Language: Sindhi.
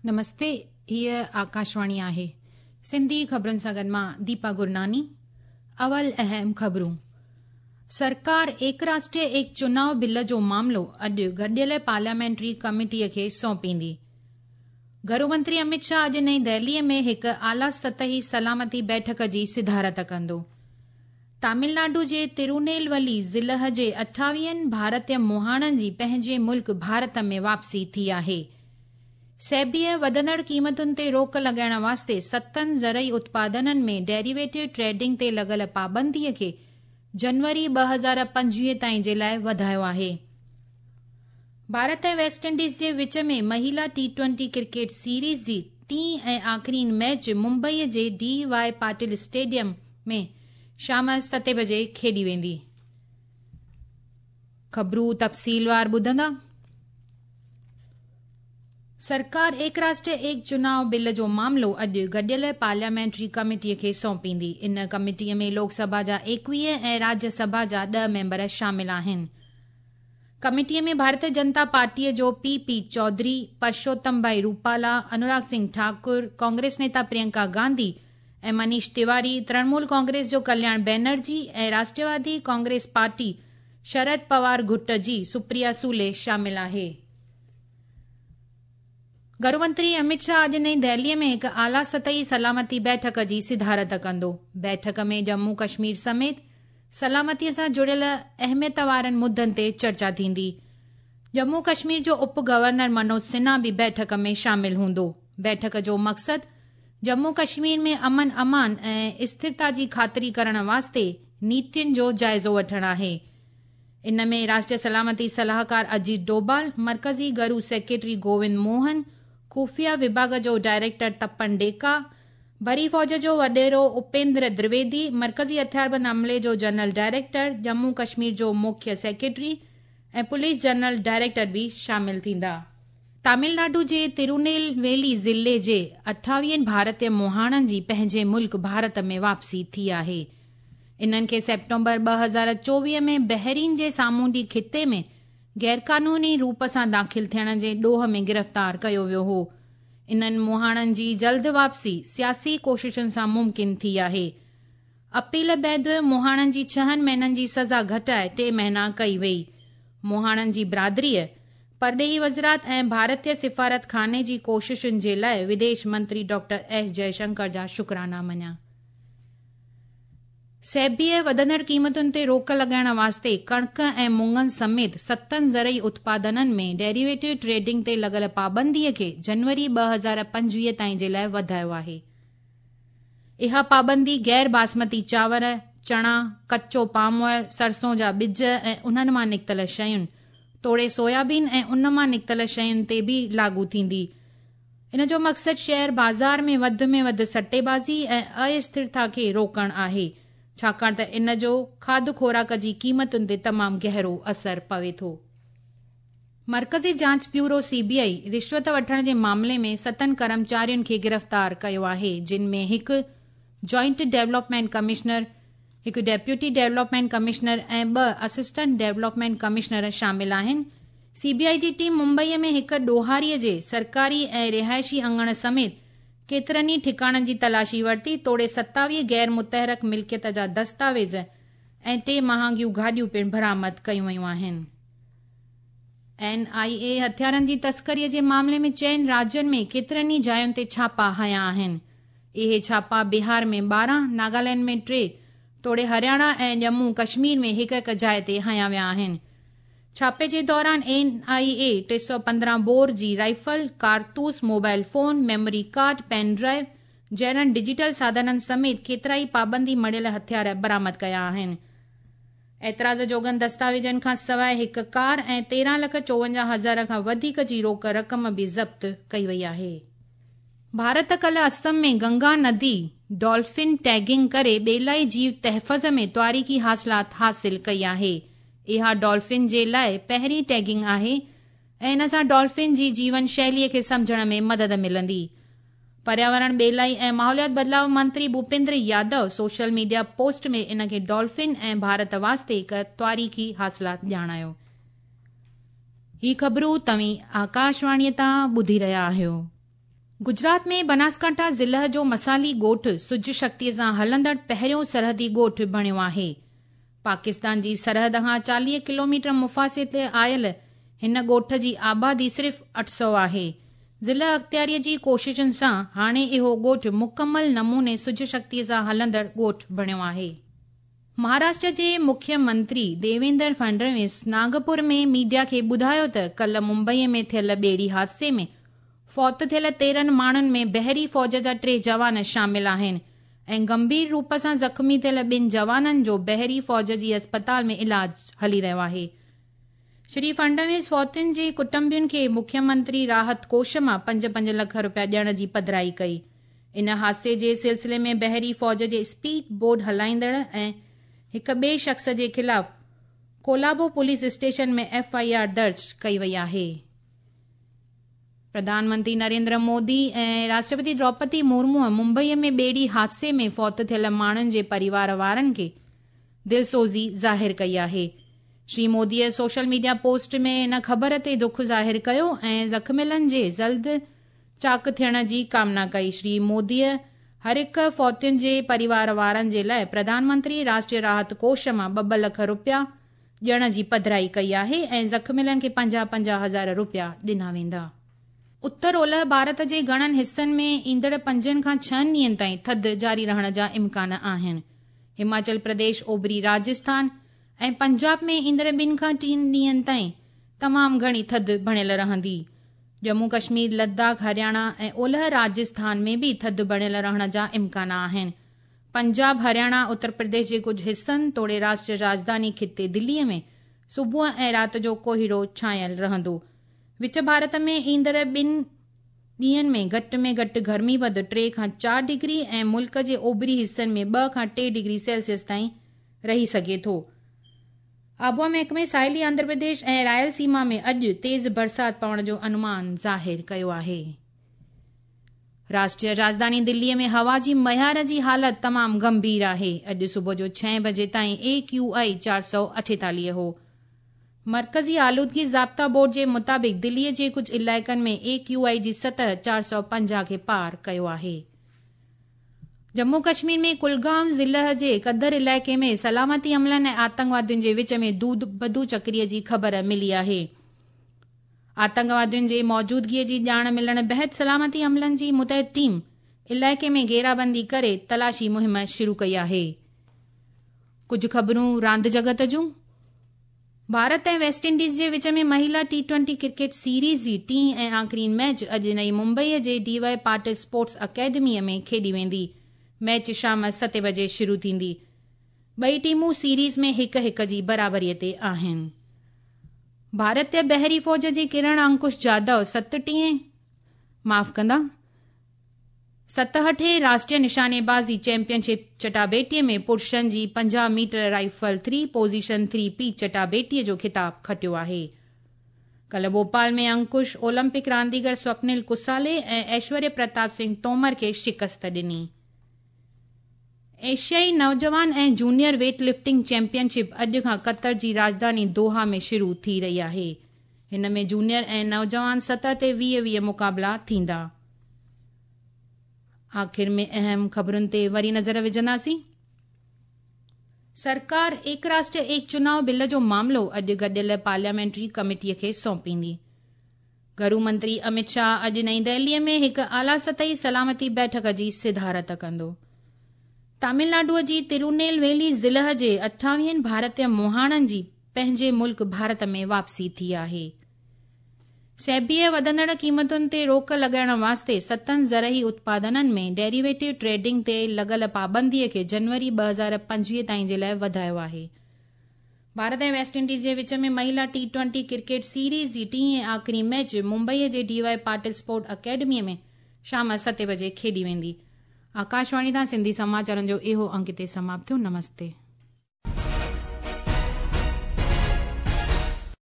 نمستي هيء آڪاشواڻي آهي سنڌي خبرن سان گڏ مان ديپا گرناني اول اهم خبرون سرڪار ايڪ راشٽر ايڪ چناء بل جو معاملو اڄ گڏيل پارليامينٽري ڪميٽيء کي سونپيندي. گهرو منتري امت شاهه اڄ نئين دهليء ۾ هڪ اعليٰ سطحي سلامتي بيٺڪ جي صدارت ڪندو. تامل ناڊو جي ترونيلولي ضلع جي اٺاويهن ڀارتي مهاڻن جي پنهنجي ملڪ ڀارت ۾ واپسي ٿي آهي. سيبيء وڌندڙ قيمتن تي روڪ لڳائڻ واسطي ستن زرعي اتپادنن ۾ ڊيريويٽو ٽريڊنگ تي لڳل پابنديء کي جنوري 2025 تائين جي لاء وڌايو آهي. ڀارت ۽ ويسٽ انڊيز جي وچ ۾ مهيلا ٽي ٽوئنٽي ڪرڪيٽ سيريز جي ٽين ۽ آخرين ميچ ممبئيء جي ڊي واء پاٽل اسٽيڊيم ۾ شام ستين بجي کيڏي ويندي. خبرون تفصيلوار ٻڌندا. سرڪار ايڪ راشٽر ايڪ چناء بل جو معاملو اڄ گڏيل پارليامينٽري ڪميٽي کي سونپيندي. ان ڪميٽي ۾ لوڪ سڀا جا 21 ۽ راجيه سڀا جا 10 ميمبر شامل آهن. ڪميٽي ۾ ڀارتيه جنتا پارٽيء جو پي پي چوڌري، پرشوتم ڀائي روپالا، انوراگ سنگهه ٺاڪر، ڪانگريس نيتا پرينڪا گانڌي ۽ منيش تيواري، ترڻمول ڪانگريس جو ڪلياڻ بينرجي ۽ راشٽروادي ڪانگريس پارٽي شرد پوار گٽ جي سپريا سولي شامل آهي. گهرو منتري امت شاهه اڄ نئين دهليء ۾ هڪ اعليٰ سطحي سلامتي بيٺڪ جي صدارت ڪندو. بيٺڪ ۾ ڄمون ڪشمير سميت سلامتيء سان جڙيل اهميت وارن مدن تي چرچا ٿيندي. ڄمون ڪشمير جو اپ گورنر منوج سنها به بيٺڪ ۾ شامل هوندو. بيٺڪ جو مقصد ڄمون ڪشمير ۾ امن امان ۽ اسٿرتا جي خاطري ڪرڻ واسطي نيتين جو جائزو وٺڻ آهي. ان ۾ راشٽريه سلامتي صلاحڪار اجيت ڊوبال، مرڪزي گهرو سيڪريٽري گووند موهن، خفيه وڀاڳ جو ڊائريڪٽر تپن ڊيڪا، بري فوج جو وڏيرو اپيندر درويدي، مرڪزي هٿياربند عملي جو جنرل ڊائريڪٽر، ڄمون ڪشمير جو مکيه سيڪريٽري ۽ پوليس جنرل ڊائريڪٽر به شامل ٿيندا. تامل ناڊو جي ترونيلويلي ضلعي جي اٺاويهن ڀارتي مهاڻن جي پنهنجي ملڪ ڀارت ۾ واپسي ٿي آهي. انهن کي سيپٽمبر 2024 ۾ بحرين جي سامونڊي خطي ۾ غيرقانوني روپ سان داخل ٿيڻ جي ڏوهه ۾ گرفتار ڪيو ويو هو. انهن مهاڻن جي جلد واپسي سياسي ڪوششن سان ممڪن ٿي آهي. اپيل بعد مهاڻن جي ڇهن مهينن جي سزا گهٽائي ٽي مهينا ڪئي وئي. مهاڻن جي برادريء، پرڏيهي وزارت ۽ ڀارتي سفارتخاني جي ڪوششن جي لاء وديش منتري ڊاڪٽر ايس جئشنڪر جا شڪرانا مڃيا. سيبيء وڌندڙ قيمتن تي روڪ لڳائڻ واسطي ڪڻڪ ۽ مڱن سميت ستن زرعي اتپادنن ۾ ڊيريويٽو ٽريڊنگ تي لڳل پابنديء کي جنوري 2025 تائين جي لاء وڌايو آهي. اها پابندي غير باسمتي چانور، چڻا، ڪچو پام آئل، سرسون جا ٻج ۽ انهن مان نڪتل شين توڙي سويابين ۽ ان مان نڪتل شين تي به لاڳو ٿيندي. ان جو مقصد شيئر بازار ۾ وڌ ۾ وڌ سٽيبازي ۽ اسٿرتا کي روڪڻ آهي، ڇاڪاڻ ته ان جو کاڌ خوراڪ جي قيمتن تي تمام گهرو اثر پوي ٿو. مرڪزي جاچ بيورو، سي بي آء، رشوت وٺڻ جي معاملي ۾ ستن ڪرمچارين کي گرفتار ڪيو آهي، جن ۾ هڪ جوائنٽ ڊولپمينٽ ڪمشنر، هڪ ڊيپيوٽي ڊولپمينٽ ڪمشنر ۽ ٻه اسسٽنٽ ڊولپمينٽ ڪمشنر شامل آهن. سي بي آء جي ٽيم ممبئي ۾ هڪ ڏوهاري جي سرڪاري ۽ رهائشي اڱڻ سميت ڪيترن ئي ٺڪاڻن جي تلاشي ورتي توڙي 27 غير متحرڪ ملڪيت جا دستاويز ۽ ٽي مهانگيون گاڏيون پڻ برآمد ڪيون ويون آهن. اين آء اي هٿيارن جي تسڪري جي معاملي ۾ چئن راجين ۾ ڪيترن ئي جاين تي ڇاپا هنيا آهن. اهي ڇاپا بهار ۾ 12، ناگالينڊ ۾ ٽي توڙي هرياڻا ۽ ڄمون ڪشمير ۾ هڪ هڪ جاء تي هنيا ويا آهن. ڇاپي جي دوران اين آء اي 315 بور جي رائفل، ڪارتوس، mobile phone, memory card, pen drive جهڙن ڊجيٽل ساڌنن سميت ڪيترائي پابندي مڙهيل هٿيار برآمد ڪيا آهن. اعتراض جوڳن دستاويزن کان سواء هڪ ڪار ۽ 13 لک 54 هزار کان وڌيڪ جي روڪ رقم به ضبط ڪئي وئي آهي. ڀارت ڪلهه اسم ۾ گنگا ندي ڊولفن ٽيگنگ ڪري ٻيلائي جيو تحفظ ۾ تواريخي حاصلات حاصل ڪئي آهي. اها ڊولفن جي لاء پهرين ٽيگنگ آهي ۽ ان سان ڊولفن جي جيون شيلي کي سمجهڻ ۾ مدد ملندي. پرياورڻ، ٻيلائي ۽ ماحوليات بدلاء منتري Bhupinder Yadav social media post ۾ ان کي ڊولفن ۽ ڀارت واسطي هڪ تواريخي حاصلات ڄاڻايو. هي خبرون توهين آڪاشواڻيء تان ٻڌي رهيا آهيو. گجرات ۾ بناسڪانٺا ضلع جو مسالي ڳوٺ سج شڪتيء سان هلندڙ پهريون سرحدي ڳوٺ بڻيو آهي. پاڪستان جي سرحد کان 40 ڪلوميٽر مفاصلي تي آيل هن ڳوٺ جي آبادي صرف 800 آهي. ضلع اختياريء جي ڪوششن سان هاڻي اهو ڳوٺ مڪمل نموني سج شڪتيء سان هلندڙ ڳوٺ بڻيو آهي. مهاراشٽر جي مکيه منتري ديويندر فڊنويس ناگپور ۾ ميڊيا کي ٻڌايو ته ڪلهه ممبئي ۾ ٿيل ٻيڙي حادثي ۾ فوت ٿيل 13 ماڻهن ۾ بحري فوج جا 3 جوان شامل آهن ۽ گنڀير روپ سان زخمي ٿيل 2 جوانن جو بحري فوج جي اسپتال ۾ علاج هلي رهيو آهي. شري فڊنويس فوتين جي ڪٽنبن کي مکيه منتري راحت ڪوش مان 5-5 لک رپيا ڏيڻ جي پڌرائي ڪئي. ان حادثي جي سلسلي ۾ بحري فوج جي اسپيڊ بوٽ هلائيندڙ ۽ هڪ ٻئي شخص جي خلاف Colaba police station ۾ F I R درج ڪئي وئي آهي. پرڌان منتري نريندر مودي ۽ راشٽرپتي دروپدي مرمو ممبئي ۾ ٻيڙي حادثي ۾ فوت ٿيل ماڻهن جي پريوار وارن کي دلسوزي ظاهر ڪئي آهي. شري موديء سوشل ميڊيا پوسٽ ۾ ان خبر تي دک ظاهر ڪيو ۽ زخميلن جي جلد چاق ٿيڻ جي ڪامنا ڪئي. شري موديء هر هڪ فوتين جي پريوار وارن جي لاء پرڌان منتري راشٽريه راحت ڪوش مان 2-2 لک رپيا ڏيڻ جي پڌرائي ڪئي آهي ۽ زخميلن کي 50-50 هزار رپيا ڏنا ويندا. اتر اولهه ڀارت جي گهڻن حصن ۾ ايندڙ 5 کان 6 ڏينهن تائين ٿڌ جاري رهڻ جا امڪان آهن. هماچل پرديش، اوڀري راجسٿان ۽ پنجاب ۾ ايندڙ 2 کان 3 ڏينهن تائين تمام گهڻي ٿڌ بڻيل رهندي. ڄمون ڪشمير، لداخ، هرياڻا ۽ اولهه راجسٿان ۾ به ٿڌ بڻيل رهڻ جا امڪان آهن. پنجاب، هرياڻا، اتر پرديش جي ڪجهه حصن توڙي راشٽريه راڄڌاني خطي دليء ۾ صبح ۽ رات جو ڪوهيڙو ڇانيل رهندو. وچ ڀارت ۾ ايندڙ 2 ڏينهن ۾ گهٽ ۾ گهٽ گرمي پد 3 کان 4 ڊگري ۽ ملڪ جي اوڀري حصن ۾ 2 کان 3 ڊگري سيلسيس تائين رهي سگهي ٿو. آبهوا محڪمي ساحلي آنڌرا پرديش ۽ رائل سيما ۾ اڄ تيز برسات پوڻ جو انومان ظاهر ڪيو آهي. راشٽريه راڄڌاني دليء ۾ هوا جي معيار جي حالت تمام گنڀير آهي. اڄ صبح جو 6 بجي تائين اي ڪيو آء 448 هو. مرڪزي آلودگي ضابطا بورڊ جي مطابق دليء جي ڪجهه علائقن ۾ اي ڪيو آء جي سطح 450 کي پار ڪيو آهي. ڄمون ڪشمير ۾ ڪلگام ضلع جي قدر علائقي ۾ سلامتي عملن ۽ آتنڪوادين جي وچ ۾ بدو چڪري جي خبر ملي آهي. آتنڪوادين جي موجودگي جي ڄاڻ ملڻ بعد سلامتي عملن جي متحد ٽيم علائقي ۾ گهيرابندي ڪري تلاشي مهم شروع ڪئي آهي. ڪجهه خبرون راند جڳت جون. ڀارت ۽ ويسٽ انڊيز جي وچ ۾ مهيلا ٽي ٽوئنٽي ڪرڪيٽ سيريز جي ٽين ۽ آخرين ميچ اڄ نئين ممبئي جي ڊي وائي پاٽل اسپورٽس اڪيڊمي ۾ کيڏي ويندي. ميچ شام 7 بجي شروع ٿيندي. ٻئي ٽيمون سيريز ۾ 1-1 جي برابري تي آهن. ڀارتي بحري فوج جي ڪرڻ انڪش جادو 67هين راشٽريه نشاني بازي چيمپيئن شپ چٽاڀيٽي ۾ پرشن جي 50 ميٽر رائفل 3 پوزيشن 3 پي چٽاڀيٽي جو خطاب کٽيو آهي. ڪلهه ڀوپال ۾ انڪش اولمپڪ رانديگر سوپنل ڪسالي ۽ ايشوريه پرتاپ سنگهه تومر کي شڪست ڏني. ايشيائي نوجوان ۽ junior weight lifting champion ship اڄ کان قطر جي راڄڌاني دوحا ۾ شروع ٿي رهي آهي. هن ۾ جونيئر ۽ نوجوان سطح تي 20-20 مقابلا ٿيندا. آخر ۾ اهم خبرن تي وري نظر وجهنداسين. سرڪار ايڪ راشٽر ايڪ چناء بل جو معاملو اڄ گڏيل پارليامينٽري ڪميٽي کي سونپيندي. گهرو منتري امت شاهه اڄ نئين دهلي ۾ هڪ اعليٰ سطحي سلامتي بيٺڪ جي صدارت ڪندو. تامل ناڊو جي ترونيل ويلي ضلع جي 28 ڀارتي مهاڻن جي پنهنجي ملڪ ڀارت ۾ واپسي ٿي آهي. سيبيء وڌندڙ قيمتن تي روڪ لڳائڻ واسطي 7 زرعي اتپادنن ۾ ڊيريويٽو ٽريڊنگ تي لڳل پابندي کي جنوري 2025 تائين جي لاء وڌايو آهي. ڀارت ۽ ويسٽ انڊيز جي وچ ۾ مهيلا ٽي ٽوئنٽي ڪرڪيٽ سيريز جي ٽين ۽ آخري ميچ ممبئي جي ڊي وائي پاٽل اسپورٽ اڪيڊمي ۾ شام 7 بجي کيڏي ويندي. آڪاشواڻي تان سنڌي سماچارن جو اهو انڪ هتي سماپت ٿيو. نمستي.